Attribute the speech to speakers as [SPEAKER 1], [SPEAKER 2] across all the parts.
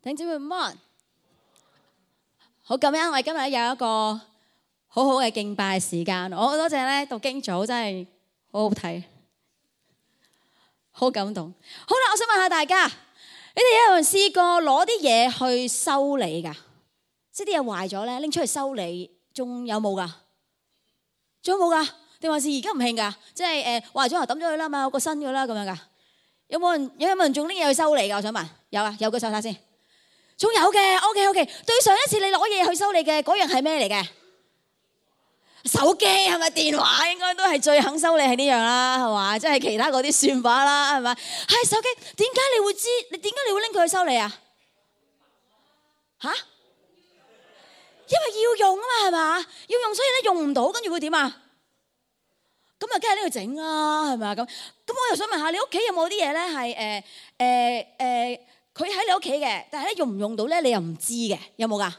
[SPEAKER 1] 弟兄姊妹午安，好感恩，我哋今日有一個好好嘅敬拜時間。我好多謝咧讀經組，真係好好睇，好感動。好啦，我想問下大家，你哋有冇人試過攞啲嘢去修理㗎？即係啲嘢壞咗咧，拎出去修理，仲有冇㗎？仲有冇㗎？定還是而家唔興㗎？即係壞咗就抌咗佢啦嘛，有個新嘅啦咁樣㗎。有冇人仲拎嘢去修理㗎？我想問，有啊，有個手睇先。仲有嘅 ，OK。對上一次你攞嘢去修理嘅嗰樣係咩嚟嘅？手機係咪？電話應該都係最肯修理係呢樣啦，係嘛？即係其他嗰啲算把啦，係咪？係手機，點解你會知？你點解你會拎佢去修理啊？嚇？因為要用啊嘛，係嘛？要用，所以咧用唔到，跟住會點啊？咁啊，梗係拎去整啦，係咪啊？咁我又想問下，你屋企有冇啲嘢咧係佢喺你屋企嘅，但係咧用唔用到咧，你又唔知嘅，有冇㗎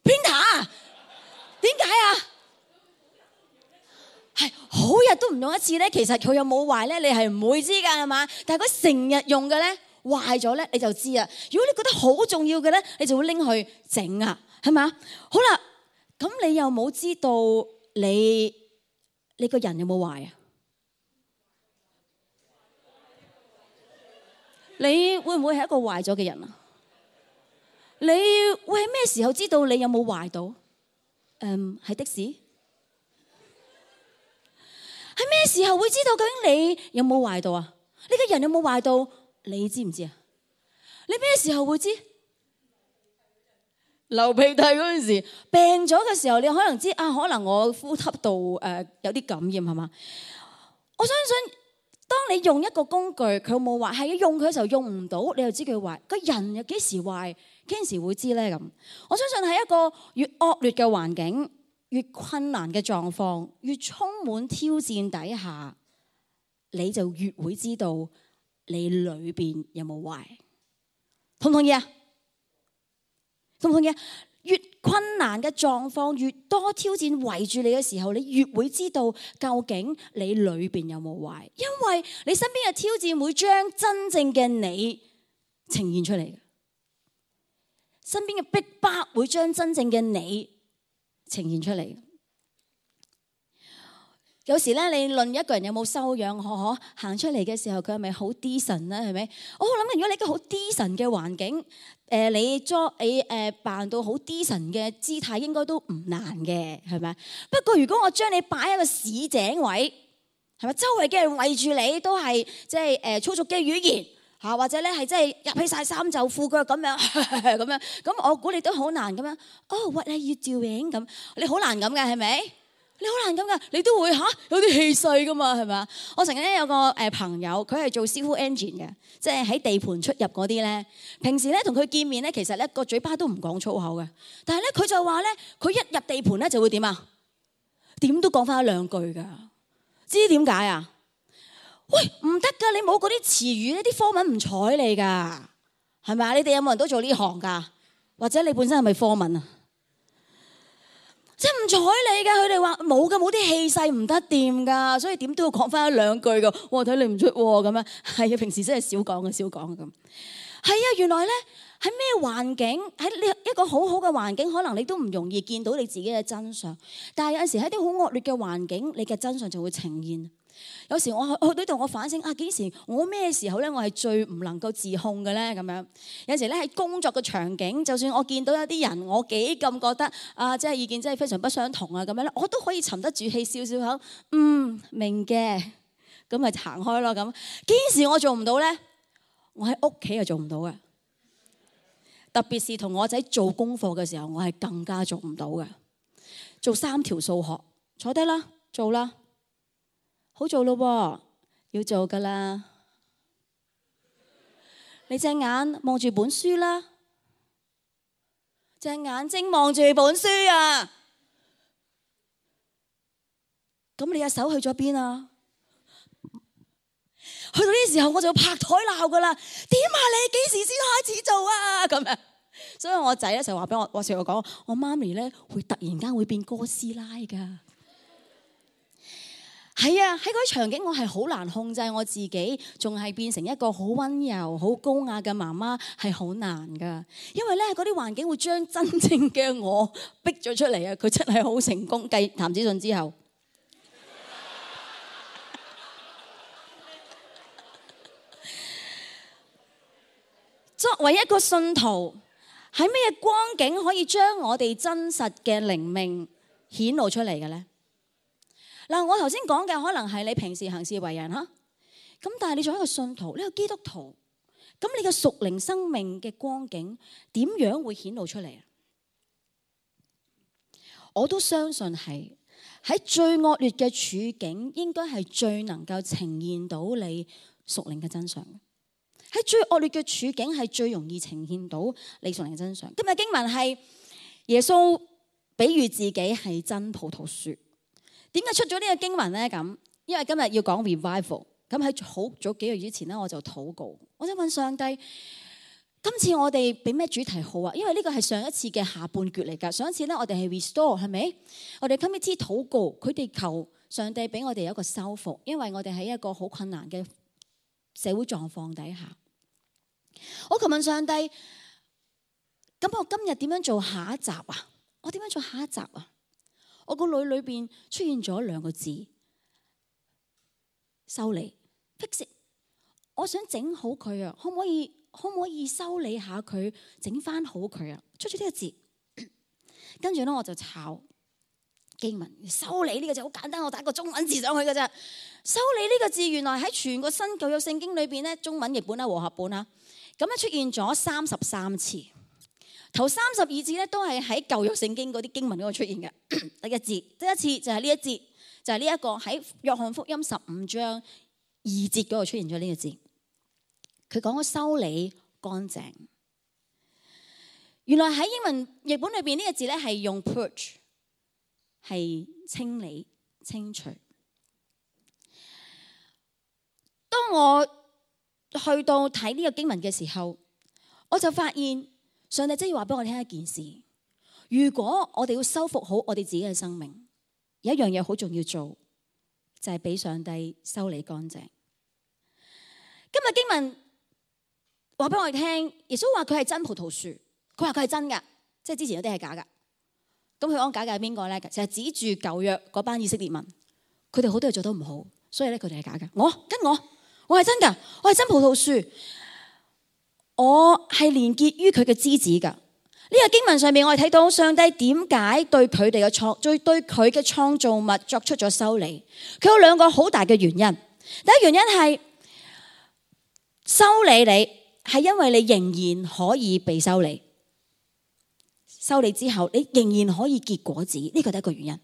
[SPEAKER 1] ？Printer 點解啊？係好日都唔用一次咧，其實佢有冇壞咧，你係唔會知㗎，係嘛？但係佢成日用嘅咧，壞咗咧，你就知啊。如果你覺得好重要嘅咧，你就會拎去整啊，係嘛？好啦，咁你又冇知道你個人有冇壞啊？你會唔會係一個壞咗嘅人啊？你會喺咩時候知道你有冇壞到？係的士。喺咩時候會知道究竟你有冇壞到啊？你個人有冇壞到？你知唔知啊？你咩時候會知？流鼻涕嗰陣時，病咗嘅時候，你可能知啊，可能我呼吸道有啲感染係嘛？我相信。當你用一個工具，佢有冇壞？係用佢嘅時候用唔到，你就知佢壞。個人又幾時壞？幾時會知咧？咁我相信喺一個越惡劣嘅環境、越困難嘅狀況、越充滿挑戰底下，你就越會知道你裏邊有冇壞。同唔同意啊？同唔同意啊？越困難嘅狀況，越多挑戰圍住你嘅時候，你越會知道究竟你裏邊有冇壞，因為你身邊嘅挑戰會將真正嘅你呈現出嚟，身邊嘅逼迫會將真正嘅你呈現出嚟。有時咧，你論一個人有冇修養，行出嚟嘅時候，佢係咪好 decent 咧？係咪？我諗緊，如果你一個好 decent 嘅環境，你扮到好 decent 嘅姿態，應該都唔難嘅，係咪？不過如果我將你擺喺個市井位，係咪？周圍嘅人圍住你，都係即係粗俗嘅語言嚇，或者咧係即係入起晒衫袖褲腳咁樣咁樣，咁我估你都好難咁樣。Oh, what are you doing？咁你好難咁嘅，係咪？你好難咁噶，你都會有啲氣勢噶嘛，係咪啊？我曾經有個朋友，佢係做 civil engine 嘅，即係喺地盤出入嗰啲咧。平時咧同佢見面咧，其實咧個嘴巴都唔講粗口嘅。但係咧佢就話咧，佢一入地盤咧就會點啊？點都講翻一兩句㗎。知點解啊？喂，唔得㗎，你冇嗰啲詞語，呢啲科文唔睬你㗎，係咪啊？你哋有冇人都做呢行㗎？或者你本身係咪科文啊？即係唔睬你㗎，佢哋話冇㗎，冇啲氣勢唔得掂㗎，所以點都要講翻一兩句㗎。我睇你唔出喎咁樣，係啊，平時真係少講咁。係啊，原來咧喺咩環境，喺呢一個好好嘅環境，可能你都唔容易見到你自己嘅真相。但係有陣時喺啲好惡劣嘅環境，你嘅真相就會呈現。有時我去到度，我反省啊，幾時我咩時候咧，我係最唔能夠自控嘅咧？咁樣有時咧喺工作嘅場景，就算我見到有啲人，我幾咁覺得啊，即係意見真係非常不相同啊，咁樣咧，我都可以沉得住氣，笑笑口，明嘅，咁咪行開咯。咁幾時我做唔到咧？我喺屋企又做唔到嘅，特別是同我仔做功課嘅時候，我係更加做唔到嘅。做3條數學，坐低啦，做啦。好做咯喎，要做噶啦。你隻眼望住本書啦，隻眼睛望住本書啊。咁你隻手去咗邊啊？去到呢時候我就拍台鬧噶啦。點啊？你幾時先開始做啊？咁樣。所以我仔咧就話俾我成日講，我媽咪咧會突然間會變哥斯拉噶。係啊，喺嗰啲場景我係好難控制我自己，仲係變成一個好溫柔、好高雅嘅媽媽係好難噶。因為咧嗰啲環境會將真正嘅我逼咗出嚟啊！佢真係好成功，繼譚子信之後。作為一個信徒，喺咩光景可以將我哋真實嘅靈命顯露出嚟嘅咧？嗱，我頭先講嘅可能係你平時行事為人嚇，咁但係你作為一個信徒，你係基督徒，咁你嘅屬靈生命嘅光景點樣會顯露出嚟啊？我都相信係喺最惡劣嘅處境，應該係最能夠呈現到你屬靈嘅真相。喺最惡劣嘅處境係最容易呈現到你屬靈嘅真相。今日經文係耶穌比喻自己係真葡萄樹。點解出咗呢個經文咧？咁因為今日要講 revival， 咁喺好早幾個月之前咧，我就禱告，我想問上帝，今次我哋俾咩主題好啊？因為呢個係上一次嘅下半橛嚟㗎。上一次咧，我哋係 restore 係咪？我哋 committee 禱告，佢哋求上帝俾我哋有一個修復，因為我哋喺一個好困難嘅社會狀況底下。我求問上帝，咁我今日點樣做下一集啊？我點樣做下一集啊？我個腦裏邊出現咗兩個字：修理 fix it。我想整好佢啊，可唔可以修理下佢，整翻好佢啊？出咗呢個字，跟住咧我就抄經文。修理呢個字好簡單，我打個中文字上去㗎咋。修理呢個字原來喺全個新舊約聖經裏邊咧，中文譯本啦、和合本啦，咁咧出現咗33次。頭32字咧都係喺舊約聖經嗰啲經文嗰度出現嘅。第一次就係呢一節，就係呢一個喺約翰福音15章2節嗰度出現咗呢個字。佢講咗修理乾淨。原來喺英文譯本裏邊呢個字咧係用 purge， 係清理清除。當我去到睇呢個經文嘅時候，我就發現上帝真係要話俾我聽一件事：如果我哋要修復好我哋自己嘅生命，有一樣嘢好重要做，就係俾上帝修理乾淨。今日經文話俾我哋聽，耶穌話佢係真葡萄樹，佢話佢係真㗎，即係之前有啲係假㗎。咁佢講假嘅係邊個咧？就係指住舊約嗰班以色列民，佢哋好多嘢做得唔好，所以咧佢哋係假㗎。我係真㗎，我係真葡萄樹，我係連結於佢嘅枝子㗎。呢個經文上面我哋睇到上帝點解對佢哋嘅對佢嘅創造物作出咗修理。佢有兩個好大嘅原因。第一原因係修理你係因為你仍然可以被修理，修理之後你仍然可以結果子，呢個第一個原因。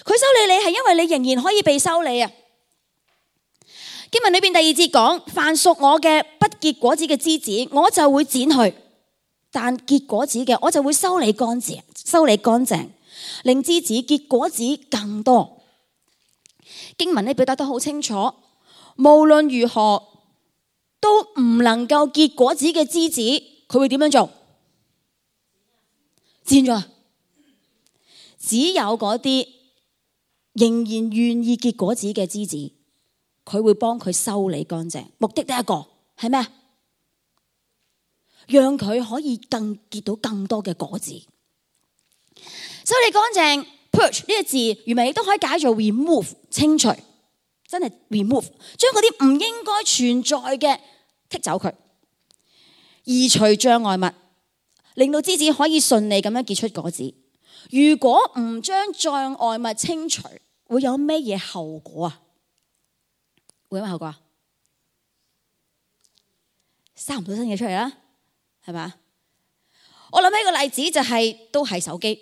[SPEAKER 1] 佢修理你係因為你仍然可以被修理啊。經文裏邊第2節講：凡屬我嘅不結果子嘅枝子，我就會剪去；但結果子嘅，我就會修理乾淨，令枝子結果子更多。經文呢表達得好清楚，無論如何都唔能夠結果子嘅枝子，佢會點樣做？剪咗。只有嗰啲仍然願意結果子嘅枝子，佢會幫佢修理乾淨。目的第一個係咩？讓佢可以結到更多嘅果子。修理乾淨 ，purge 呢個字原文亦都可以解做 remove 清除，真係 remove 將嗰啲唔應該存在嘅剔走佢，移除障礙物，令到枝子可以順利咁樣結出果子。如果唔將障礙物清除，會有咩嘢後果啊？會有咩後果啊？生唔到新嘢出嚟啦，係咪？我諗起個例子就係都係手機、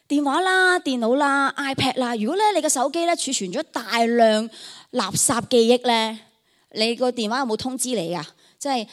[SPEAKER 1] 電話啦、電腦啦、iPad 啦。如果咧你個手機咧儲存咗大量垃圾記憶咧，你個電話有冇通知你啊？即係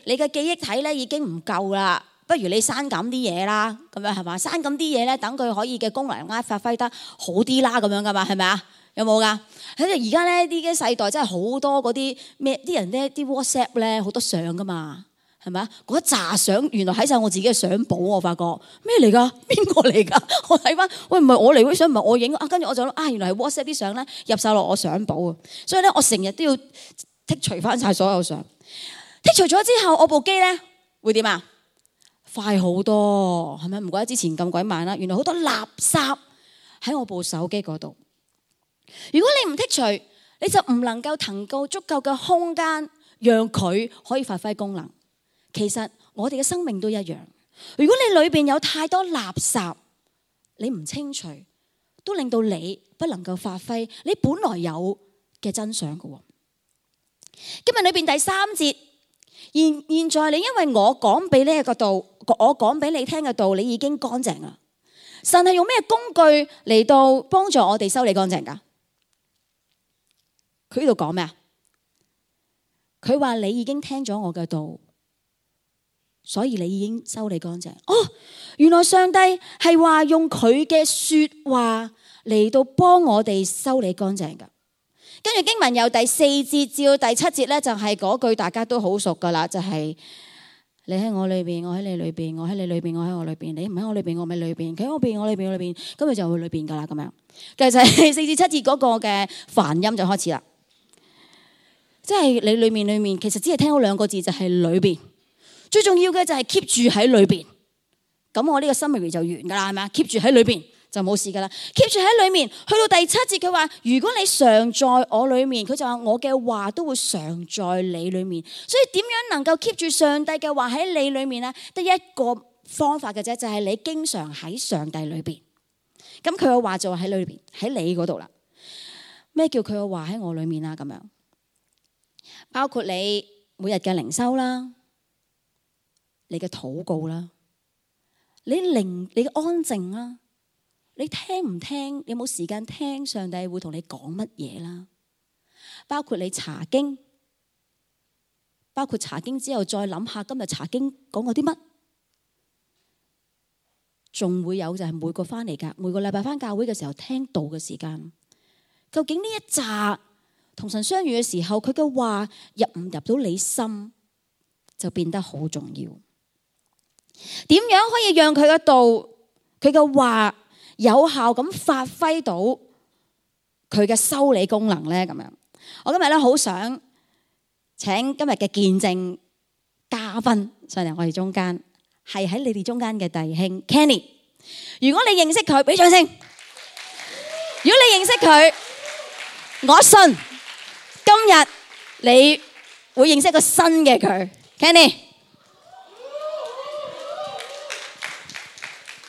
[SPEAKER 1] 你嘅記憶體咧已經唔夠啦，不如你刪減啲嘢啦，咁樣係嘛？刪減啲嘢咧，等佢可以嘅功能發揮得好啲啦，咁樣噶嘛，係咪啊？有冇噶？喺而家咧啲嘅世代真係好多嗰啲咩啲人咧啲 WhatsApp 咧好多相噶嘛，係咪啊？嗰一紮相原來喺晒我自己嘅相簿，我發覺咩嚟㗎？邊個嚟㗎？我睇翻，喂，唔係我嚟嗰啲相，唔係我影啊。跟住我就諗原來係 WhatsApp 啲相咧入晒落我相簿啊。所以咧，我成日都要剔除翻晒所有相。剔除咗之後，我部機咧會點啊？快好多，係咪？唔怪得之前咁鬼慢啦。原來好多垃圾喺我部手機嗰度。如果你唔剔除，你就唔能夠騰夠足夠嘅空間，讓佢可以發揮功能。其實我哋嘅生命都一樣。如果你裏邊有太多垃圾，你唔清除，都令到你不能夠發揮你本來有嘅真相嘅。今日裏邊第3節，現在你因為我講俾呢一個道，我講俾你聽嘅道，你已經乾淨啦。神係用咩工具嚟到幫助我哋修理乾淨噶？佢呢度講咩啊？佢話你已經聽咗我嘅道，所以你已經修理乾淨。哦，原來上帝係話用佢嘅說話嚟到幫我哋修理乾淨噶。跟住經文由第4節至到第7節咧，就係嗰句大家都好熟噶啦，就係你喺我裏邊，我喺你裏邊，我喺你裏邊，我喺我裏邊，你唔喺我裏邊，我咪裏邊，佢喺我邊，我裏邊，我裏邊，咁佢就會裏邊噶啦，咁樣。其實就係4至7節嗰個嘅梵音就開始啦。即係你裏面，其實只係聽到2個字，就係裏邊。最重要嘅就係 keep 住喺裏邊。咁我呢個 summary 就完噶啦，係咪啊？keep 住喺裏邊就冇事噶啦。keep 住喺裏面，去到第7節佢話：如果你常在我裏面，佢就話我嘅話都會常在你裏面。所以點樣能夠 keep 住上帝嘅話喺你裏面呢？得一個方法嘅啫，就係你經常喺上帝裏邊。咁佢嘅話就喺裏邊，喺你嗰度啦。咩叫佢嘅話喺我裏面啊？咁樣。包括你每日嘅靈修啦，你嘅禱告啦，你嘅安靜啦，你聽唔聽？你有冇時間聽上帝會同你講乜嘢啦？包括你查經，包括查經之後再諗下今日查經講過啲乜，仲會有就係每個禮拜翻教會嘅時候聽道嘅時間，究竟呢一紮同神相遇嘅時候，佢嘅話入唔入到你心，就變得好重要。點樣可以讓佢嘅道、佢嘅話有效咁發揮到佢嘅修理功能呢？咁樣，我今日咧好想請今日嘅見證嘉賓上嚟我哋中間，係喺你哋中間嘅弟兄 Kenny。如果你認識佢，俾掌聲。如果你認識佢，我信今日你會認識一個新嘅佢 ，Kenny。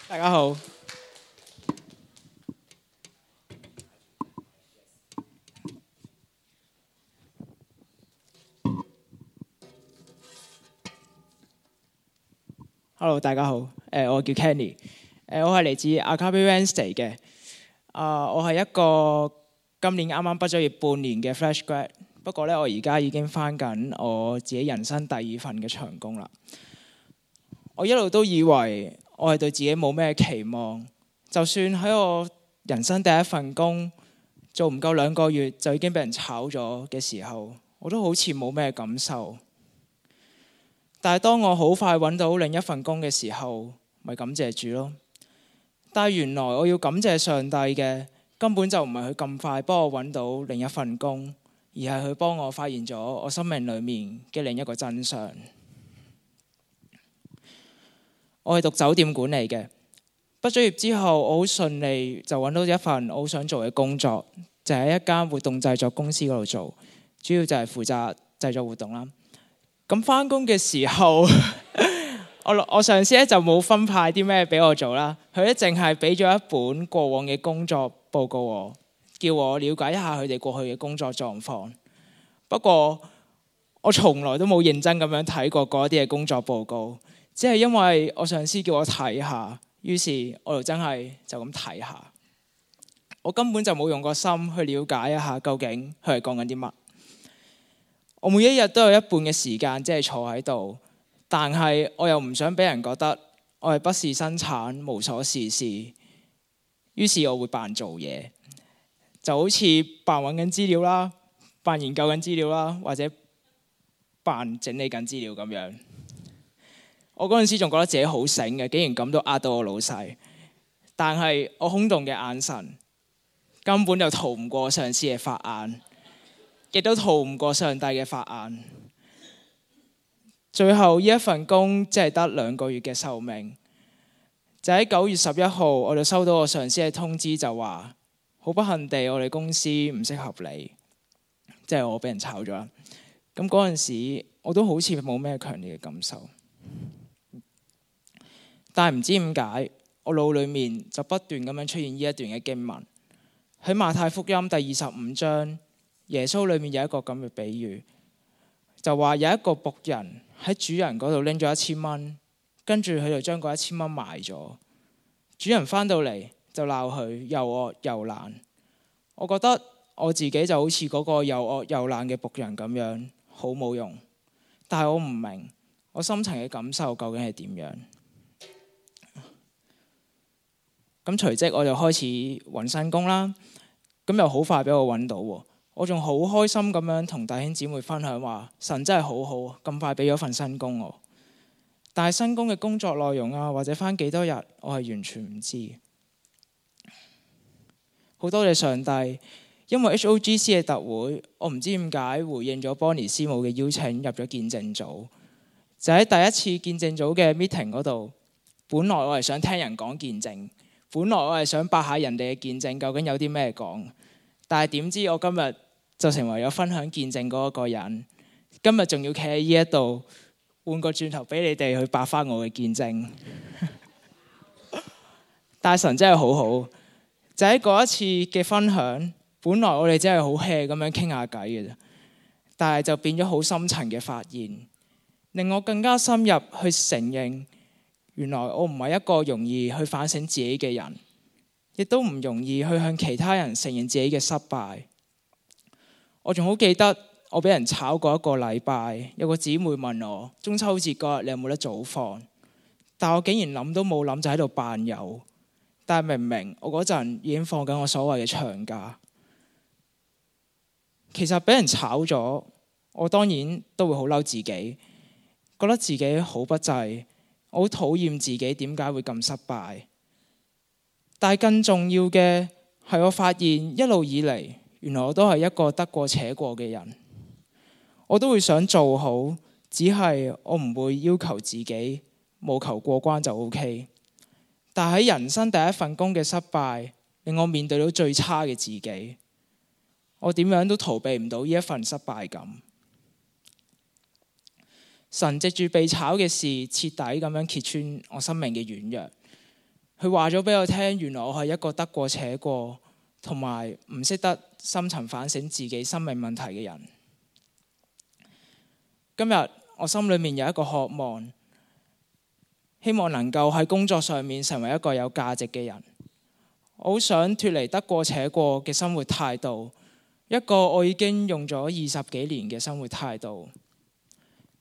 [SPEAKER 2] 大家好。Hello， 大家好。我叫 Kenny。我係嚟自 Agape Wednesday 嘅。我係一個今年啱啱畢咗業半年嘅 Fresh Grad。不過咧，我而家已經返緊我自己人生第2份嘅長工啦。我一路都以為我係對自己冇咩期望，就算喺我人生第1份工做唔夠2個月就已經俾人炒咗嘅時候，我都好似冇咩感受。但係當我好快揾到另一份工嘅時候，咪感謝主咯。但係原來我要感謝上帝嘅，根本就唔係佢咁快幫我揾到另一份工，而係佢幫我發現咗我生命裡面嘅另一個真相。我係讀酒店管理嘅，畢咗業之後，我好順利就揾到一份我好想做嘅工作，就喺一間活動製作公司嗰度做，主要就係負責製作活動啦。咁返工嘅時候，我上司咧就冇分派啲咩俾我做啦，佢咧淨係俾咗一本過往嘅工作報告我，叫我了解一下佢哋過去嘅工作狀況。不過我從來都冇認真咁樣睇過嗰啲嘅工作報告，只係因為我上司叫我睇下，於是我就真係就咁睇下。我根本就冇用個心去了解一下究竟佢係講緊啲乜。我每一日都有一半嘅時間即係坐喺度，但係我又唔想俾人覺得我係不事生產、無所事事，於是我會扮做嘢，就好似扮揾緊資料啦、扮研究緊資料啦，或者扮整理緊資料咁樣。我嗰陣時仲覺得自己好醒嘅，竟然咁都呃到我老細。但係我空洞嘅眼神根本就逃唔過上司嘅法眼，亦都逃唔過上帝嘅法眼。最後呢一份工只係得2個月嘅壽命，就喺9月11號，我就收到我上司嘅通知，就話好不幸地我哋公司唔適合你，即係我俾人炒咗啦。咁嗰陣時我都好似冇咩強烈嘅感受。但係唔知點解，我腦裏面就不斷咁樣出現呢一段嘅經文，喺馬太福音第25章，耶穌裏面有一個咁嘅比喻，就話有一個僕人喺主人嗰度拎咗1000蚊，跟住佢就將嗰1000蚊賣咗。主人翻到嚟就鬧佢又惡又懶。我覺得我自己就好似嗰個又惡又懶嘅僕人咁樣，好冇用。但係我唔明我深層嘅感受究竟係點樣。咁隨即我就開始揾新工啦，咁又好快俾我揾到喎。我仲好開心咁樣同弟兄姊妹分享話，神真係好好，咁快俾咗份新工我。但係新工嘅工作內容啊，或者返幾多日，我係完全唔知。好多謝上帝，因為 HOGC 嘅特會，我唔知點解回應咗 Bonnie 師母嘅邀請，入咗見證組。就喺第一次見證組嘅 meeting 嗰度，本來我係想聽人講見證。本來我係想白下人哋嘅見證究竟有啲咩講，但係點知我今日就成為咗分享見證嗰一個人。今日仲要企喺呢一度，換個轉頭俾你哋去白翻我嘅見證。但係神真係好好，就喺嗰一次嘅分享，本來我哋真係好 hea 咁樣傾下偈嘅啫，但係就變咗好深層嘅發現，令我更加深入去承認。原來我唔係一個容易去反省自己嘅人，亦都唔容易去向其他人承認自己嘅失敗。我仲好記得我俾人炒過1個禮拜，有個姊妹問我中秋節嗰日你有冇得早放，但我竟然諗都冇諗就喺度扮有。但係明明我嗰陣已經放緊我所謂嘅長假。其實俾人炒咗，我當然都會好嬲自己，覺得自己好不濟。我好討厭自己點解會咁失敗，但係更重要嘅係我發現一路以嚟，原來我都係一個得過且過嘅人。我都會想做好，只係我唔會要求自己務求過關就 OK。但係喺人生第一份工嘅失敗，令我面對到最差嘅自己，我點樣都逃避唔到呢一份失敗感。神藉住被炒嘅事，徹底咁樣揭穿我生命嘅軟弱。佢話咗俾我聽，原來我係一個得過且過，同埋唔識得深層反省自己生命問題嘅人。今日我心裏面有一個渴望，希望能夠喺工作上面成為一個有價值嘅人。我好想脫離得過且過嘅生活態度，一個我已經用咗20幾年嘅生活態度。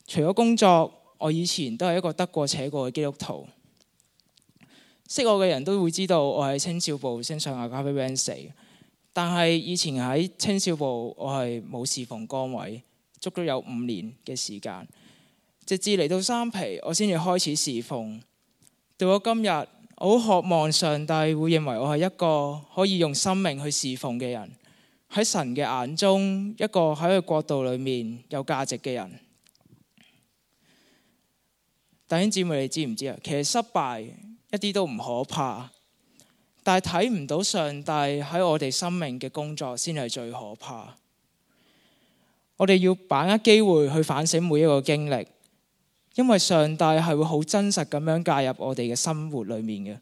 [SPEAKER 2] 除咗工作，我以前都係一個得過且過嘅基督徒。識我嘅人都會知道我喺青少部升上 Agape Band 4，但係以前喺青少部我係冇侍奉崗位，足足有5年嘅時間，直至嚟到三皮我先至開始侍奉。到咗今日，我好渴望上帝會認為我係一個可以用生命去侍奉嘅人，喺神嘅眼中一個喺佢國度裏面有價值嘅人。弟兄姊妹，你知唔知啊？其實失敗一啲都唔可怕，但係睇唔到上帝喺我哋生命嘅工作先係最可怕。我哋要把握機會去反省每一個經歷，因為上帝係會好真實咁樣介入我哋嘅生活裏面嘅。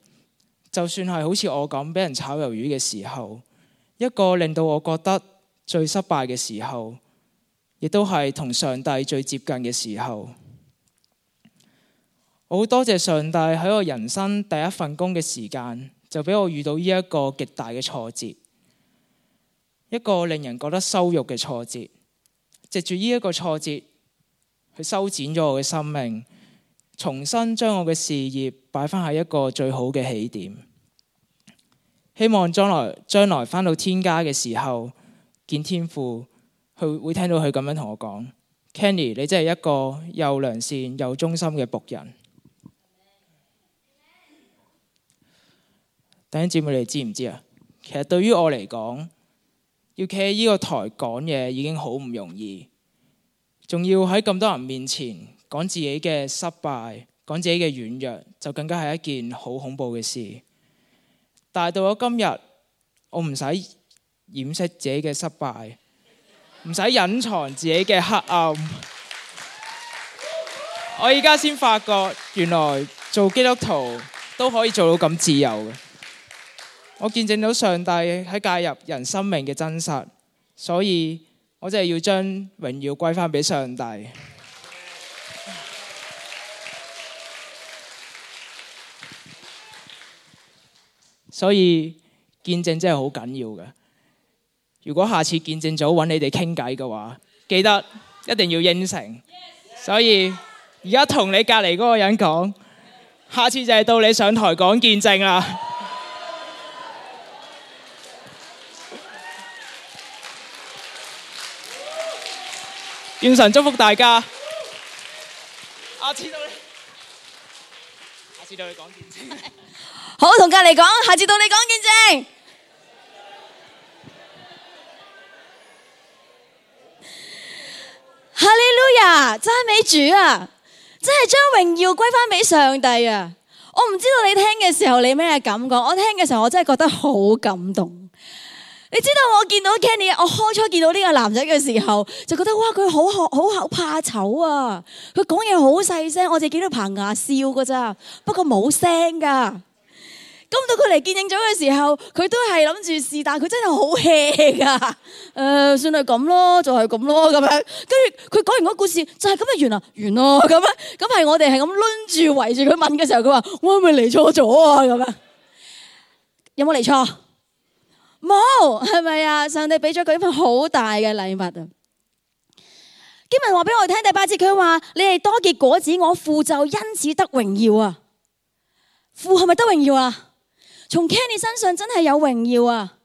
[SPEAKER 2] 就算係好似我咁俾人炒魷魚嘅時候，一個令到我覺得最失敗嘅時候，亦都係同上帝最接近嘅時候。我好多謝上帝喺我人生第一份工嘅時間，就俾我遇到呢一個極大嘅挫折，一個令人覺得羞辱嘅挫折。藉住呢一個挫折，去修剪咗我嘅生命，重新將我嘅事業擺翻喺一個最好嘅起點。希望將來翻到天家嘅時候，見天父，佢會聽到佢咁樣同我講：Kenny，你真係一個又良善又忠心嘅僕人。弟兄姊妹，你知唔知啊？其實對於我嚟講，要企喺呢個台講嘢已經好唔容易，仲要喺咁多人面前講自己嘅失敗，講自己嘅軟弱，就更加係一件好恐怖嘅事。但係到咗今日，我唔使掩飾自己嘅失敗，唔使隱藏自己嘅黑暗。我而家先發覺，原來做基督徒都可以做到咁自由嘅。我見證到上帝喺介入人生命嘅真實，所以我真係要將榮耀歸翻俾上帝。所以見證真係好緊要嘅。如果下次見證組揾你哋傾偈嘅話，記得一定要應承。所以而家同你隔離嗰個人講，下次就係到你上台講見證啦。願神祝福大家。下次到你講見證。
[SPEAKER 1] 好，同隔離講，下次到你講見證。哈利路亞，讚美主啊！真係將榮耀歸翻俾上帝啊！我唔知道你聽嘅時候你咩感覺，我聽嘅時候我真係覺得好感動。你知道我見到 Kenny， 我開初見到呢個男仔嘅時候，就覺得哇，佢好怕醜啊！佢講嘢好細聲，我淨係見到棚牙笑噶咋，不過冇聲噶。咁到佢嚟見證咗嘅時候，佢都係諗住試，但係佢真係好 hea 噶。算係咁咯，就係咁咯咁樣。跟住佢講完個故事，就係咁就完啦，完咯咁樣。咁係我哋係咁攆住圍住佢問嘅時候，佢話：我係咪嚟錯咗啊？咁樣有冇嚟錯？冇，係咪啊？上帝俾咗佢一份好大嘅禮物啊！經文話俾我哋聽第8節，佢話：你哋多結果子，我父就因此得榮耀啊！父係咪得榮耀啊？從 Kenny 身上真係有榮耀啊！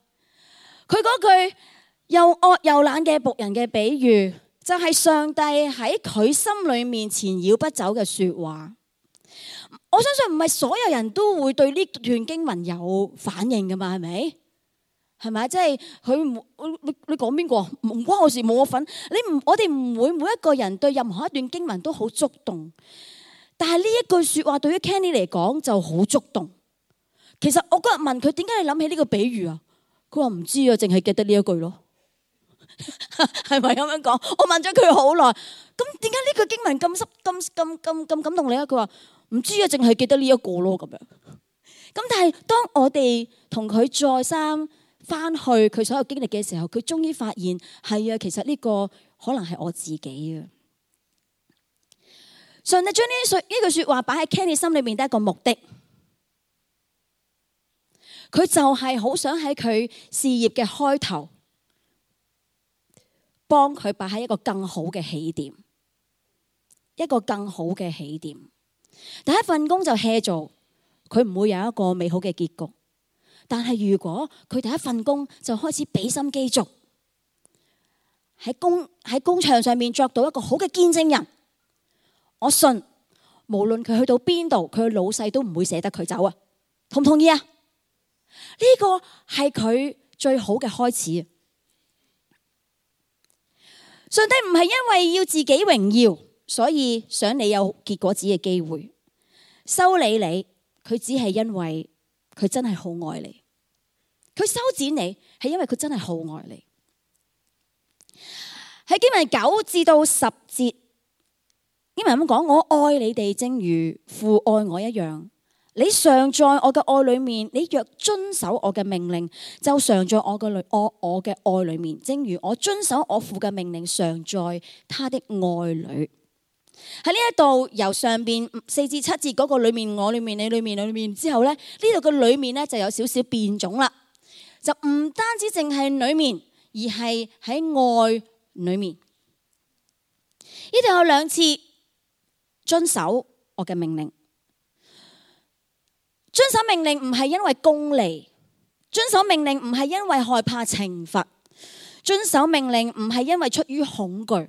[SPEAKER 1] 佢嗰句又惡又懶嘅僕人嘅比喻，就係上帝喺佢心裏面纏繞不走嘅說話。我相信唔係所有人都會對呢段經文有反應噶嘛，係咪？係咪？即係佢你講邊個？唔關我事，冇我份。我哋唔會每一個人對任何一段經文都好觸動，但係呢一句說話對於 Kenny 嚟講就好觸動。其實我嗰日問佢點解你諗起呢個比喻啊？佢話唔知啊，淨係記得呢一句咯。係咪咁樣講？我問咗佢好耐，咁點解呢句經文咁感動你啊？佢話唔知啊，淨係記得呢一個咯咁樣。咁但係當我哋同佢再三翻去佢所有經歷嘅時候，佢終於發現係啊，其實呢個可能係我自己啊。上帝將呢句說話擺喺 Kenny 心裏面，得一個目的。佢就係好想喺佢事業嘅開頭，幫佢擺喺一個更好嘅起點，一個更好嘅起點。第一份工就 hea 做，佢唔會有一個美好嘅結局。但係如果佢第一份工就開始俾心機做，喺工場上面作到一個好嘅見證人，我信無論佢去到邊度，佢嘅老細都唔會捨得佢走啊！同唔同意啊？呢個係佢最好嘅開始。上帝唔係因為要自己榮耀，所以想你有結果子嘅機會，修理你，佢只係因為佢真係好愛你。佢修剪你係因為佢真係好愛你。喺經文9至到10節，經文咁講：我愛你哋，正如父愛我一樣。你常在我嘅愛裏面，你若遵守我嘅命令，就常在我嘅愛裏面。正如我遵守我父嘅命令，常在他的愛裏。喺呢一度由上邊4至7節嗰個裏面，我裏面，你裏面，裏面之後咧，呢度嘅裏面咧就有少少變種啦，就唔單止淨係裏面，而係喺愛裏面。呢度有2次遵守我嘅命令。遵守命令唔係因為功利，遵守命令唔係因為害怕懲罰，遵守命令唔係因為出於恐懼。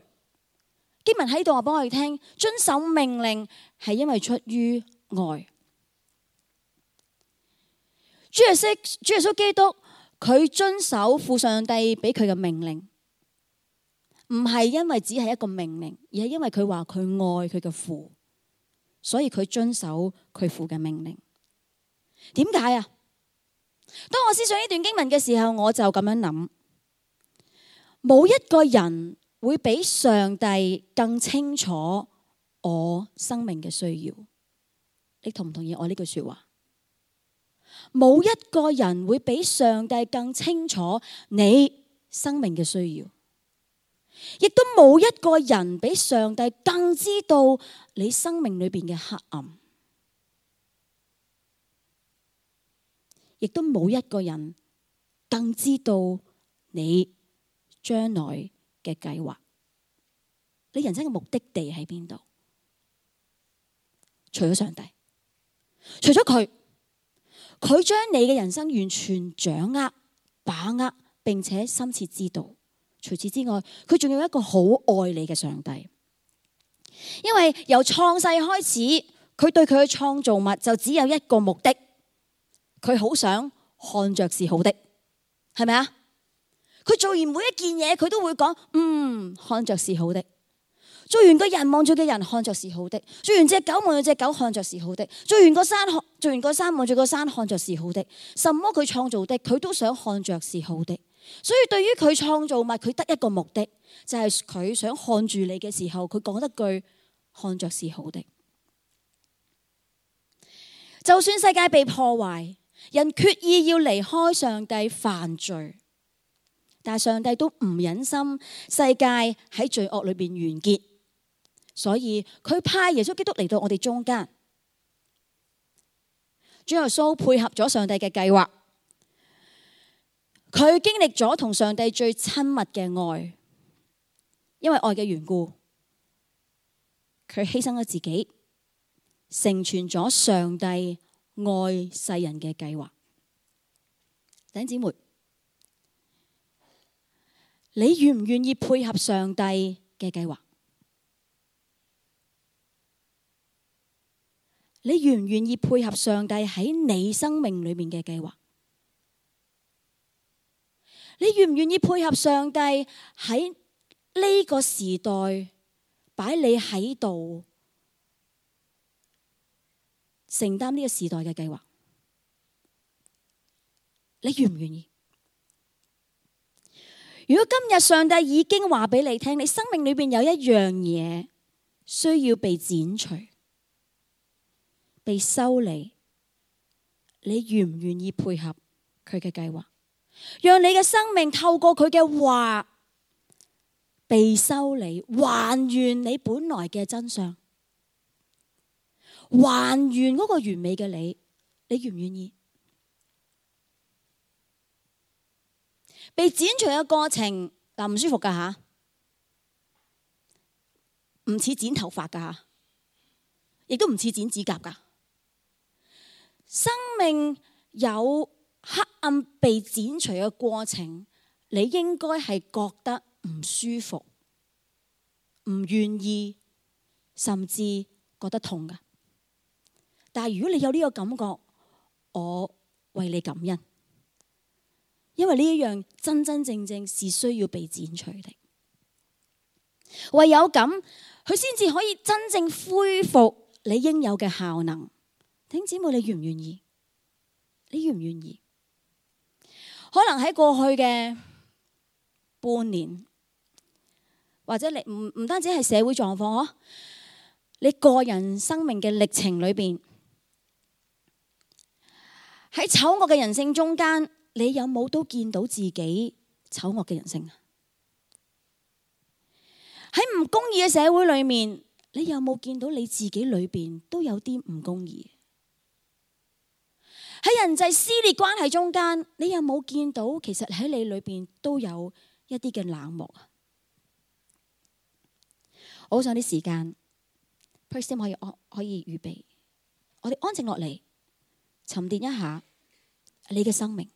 [SPEAKER 1] 經文喺度話俾我哋聽，遵守命令係因為出於愛。主耶穌基督佢遵守父上帝俾佢嘅命令，唔係因為只係一個命令，而係因為佢話佢愛佢嘅父，所以佢遵守佢父嘅命令。點解啊？當我思想呢段經文嘅時候，我就咁樣諗，冇一個人會比上帝更清楚我生命嘅需要。你同唔同意我呢句說話？冇一個人會比上帝更清楚你生命嘅需要，亦都冇一個人比上帝更知道你生命裏邊嘅黑暗，亦都冇一個人更知道你將來嘅計劃，你人生嘅目的地喺邊度？除咗上帝，除咗佢將你嘅人生完全掌握、把握，並且深切知道。除此之外，佢仲有一個好愛你嘅上帝，因為由創世開始，佢對佢嘅創造物就只有一個目的，佢好想看着是好的，係咪啊？佢做完每一件嘢，佢都會講，看着是好的。做完個人望住嘅人，看着是好的；做完隻狗望住隻狗，看着是好的；做完個山望住個山，看着是好的。什麼佢創造的，佢都想看着是好的。所以對於佢創造物，佢得一個目的，就係佢想看住你嘅時候，佢講一句看着是好的。就算世界被破壞，人決意要離開上帝犯罪，但係上帝都唔忍心世界喺罪惡裏邊完結。所以佢派耶穌基督嚟到我哋中間，主耶穌配合咗上帝嘅計劃，佢經歷咗同上帝最親密嘅愛，因為愛嘅緣故，佢犧牲咗自己，成全咗上帝愛世人嘅計劃。弟兄姊妹，你願唔願意配合上帝嘅計劃？你願唔願意配合上帝喺你生命裏面嘅計劃？你願唔願意配合上帝喺呢個時代擺你喺度承擔呢個時代嘅計劃？你願唔願意？如果今日上帝已經話俾你聽，你生命裏邊有一樣嘢需要被剪除、被修理，你願唔願意配合佢嘅計劃，讓你嘅生命透過佢嘅話被修理，還原你本來嘅真相，還原嗰個完美嘅你，你願唔願意？被剪除嘅過程唔舒服噶吓，唔似剪頭髮噶吓，亦都唔似剪指甲噶。生命有黑暗被剪除嘅過程，你應該係覺得唔舒服、唔願意，甚至覺得痛噶。但係如果你有呢個感覺，我為你感恩，因為呢一樣真真正正是需要被剪除的。唯有咁，佢先至可以真正恢復你應有嘅效能。弟兄姊妹，你願唔願意？你願唔願意？可能喺過去嘅半年，或者你唔單止係社會狀況嗬，你個人生命嘅歷程裏邊，喺醜惡嘅人性中間，你有冇都見到自己醜惡嘅人性啊？喺唔公義嘅社會裏面，你有冇見到你自己裏邊都有啲唔公義？喺人際撕裂關係中間，你有冇見到其實喺你裏邊都有一啲嘅冷漠啊？我好想啲時間 ，Praise Team 可以預備，我哋安靜落嚟，沉澱一下你嘅生命，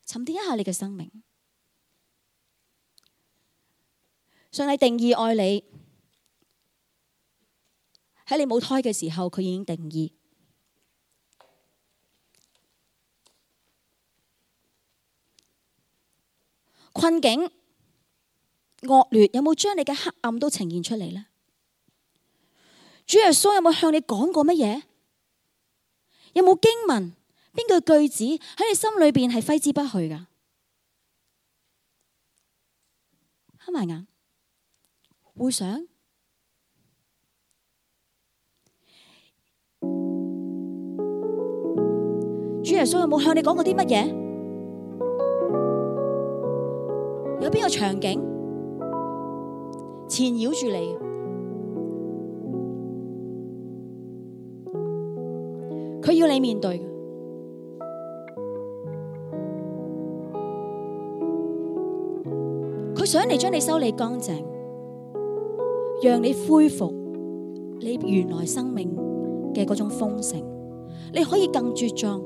[SPEAKER 1] 沉澱一下你嘅生命。上帝定義愛你，喺你冇胎嘅時候，佢已經定義。困境、惡劣，有冇將你嘅黑暗都呈現出嚟呢？主耶穌有冇向你講過乜嘢？有冇經文邊句句子喺你心裏邊係揮之不去噶？黑埋眼，回想。主耶穌有冇向你講過啲乜嘢？有邊個場景纏繞住你？佢要你面對嘅，佢想嚟將你修理乾淨，讓你恢復你原來生命嘅嗰種豐盛，你可以更茁壯。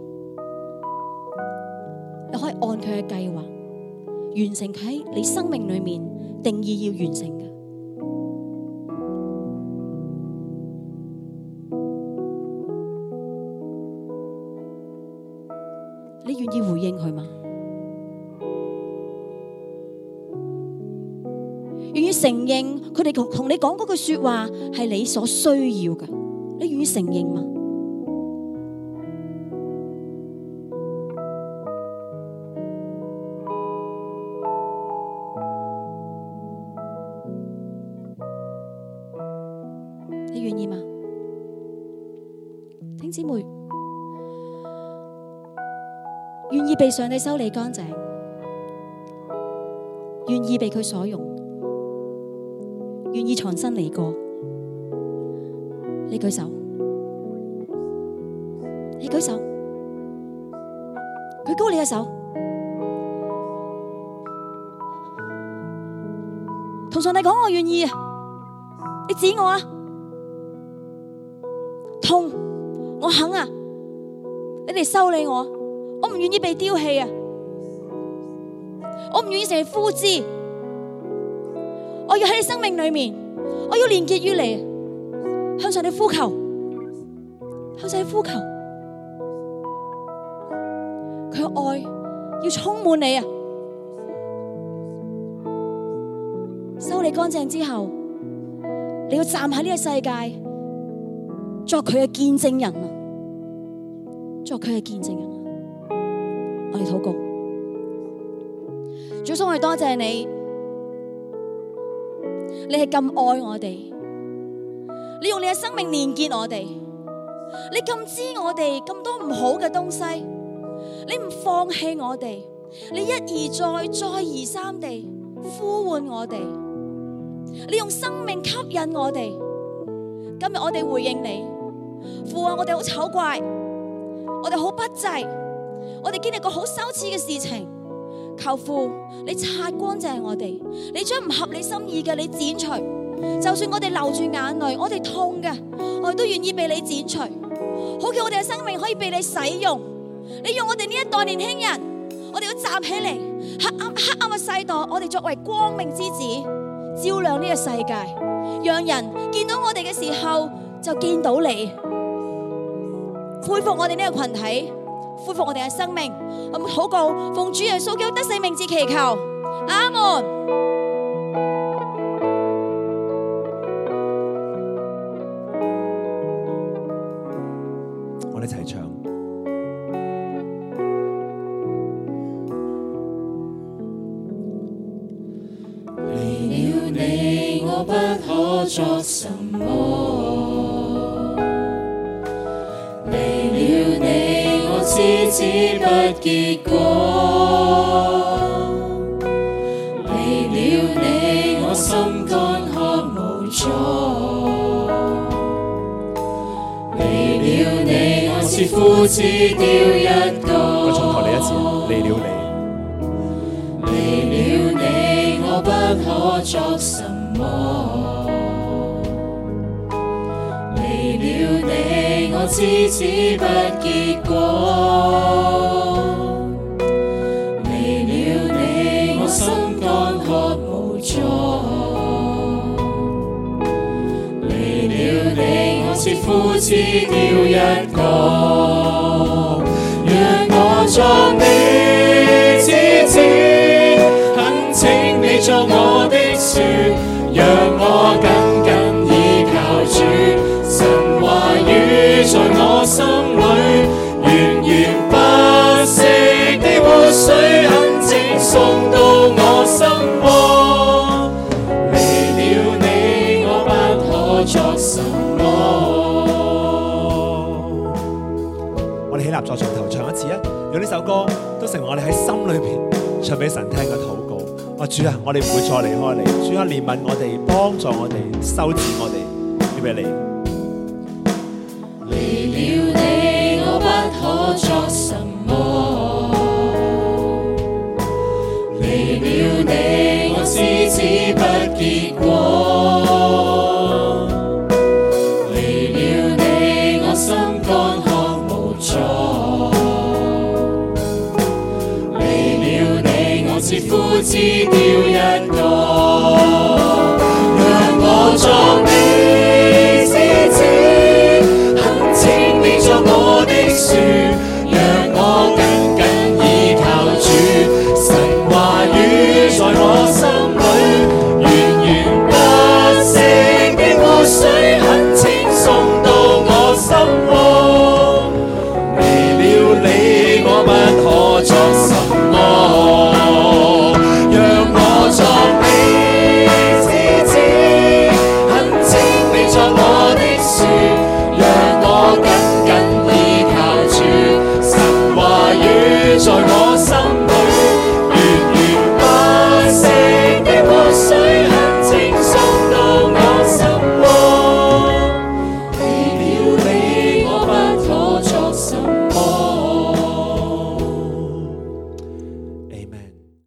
[SPEAKER 1] 你可以按佢嘅計劃完成佢喺你生命裏面定義要完成嘅。你願意回應佢嗎？願意承認佢哋同你講嗰句說話係你所需要嘅？你願意承認嗎？你願意嗎？弟兄姊妹，願意被上帝修理乾淨，願意被佢所用，願意重新嚟過，你舉手，你舉手，舉高你嘅手，同上帝講我願意啊！你指我啊！痛，我肯啊！你哋修理我，我唔願意被丟棄啊！我唔願意成為枯枝，我要喺你生命裏面，我要連結於你，向上帝呼求，向上帝呼求，佢嘅愛要充滿你啊！修理乾淨之後，你要站喺呢個世界，作佢嘅見證人啊！作佢嘅見證人啊！我哋禱告，主，我哋多謝你，你係咁愛我哋，你用你嘅生命連結我哋，你咁知我哋咁多唔好嘅東西，你唔放棄我哋，你一而再，再而三地呼喚我哋，你用生命吸引我哋。今日我哋回應你，父啊，我哋好醜怪，我哋好不濟，我哋經歷過好羞恥嘅事情，求父你擦乾淨我哋，你將唔合你心意嘅你剪除，就算我哋流住眼淚，我哋痛嘅，我哋都願意被你剪除，好叫我哋嘅生命可以被你使用。你用我哋呢一代年輕人，我哋要站起嚟，黑暗嘅世代，我哋作為光明之子，照亮呢個世界，讓人見到我哋嘅時候就見到你，恢復我哋呢個群體，恢復我哋嘅生命。我們禱告，奉主耶穌基督得勝名字祈求，阿門。
[SPEAKER 3] 我哋一齊唱。
[SPEAKER 4] 離了你，我不可作什麼；離了你，我枝子不結果；離了你，我心乾渴無助；離了你，我似枯枝丟一個。
[SPEAKER 3] 我重頭嚟一次，離了你。
[SPEAKER 4] 我不可作什麼，離了你，我枝子不結果；離了你，我心乾渴無助；離了你，我似枯枝丟一個。讓我作你枝子。
[SPEAKER 3] 用呢首歌都成為我哋喺心裏邊唱俾神聽嘅禱告。主啊，我哋唔會再離開你。主啊，憐憫我哋，幫助我哋，修剪我哋，俾俾你。
[SPEAKER 4] 離了你，我不可作什麼；離了你，我枝子不結果；離了你，我心乾渴無助；離了你，我似枯枝掉一個。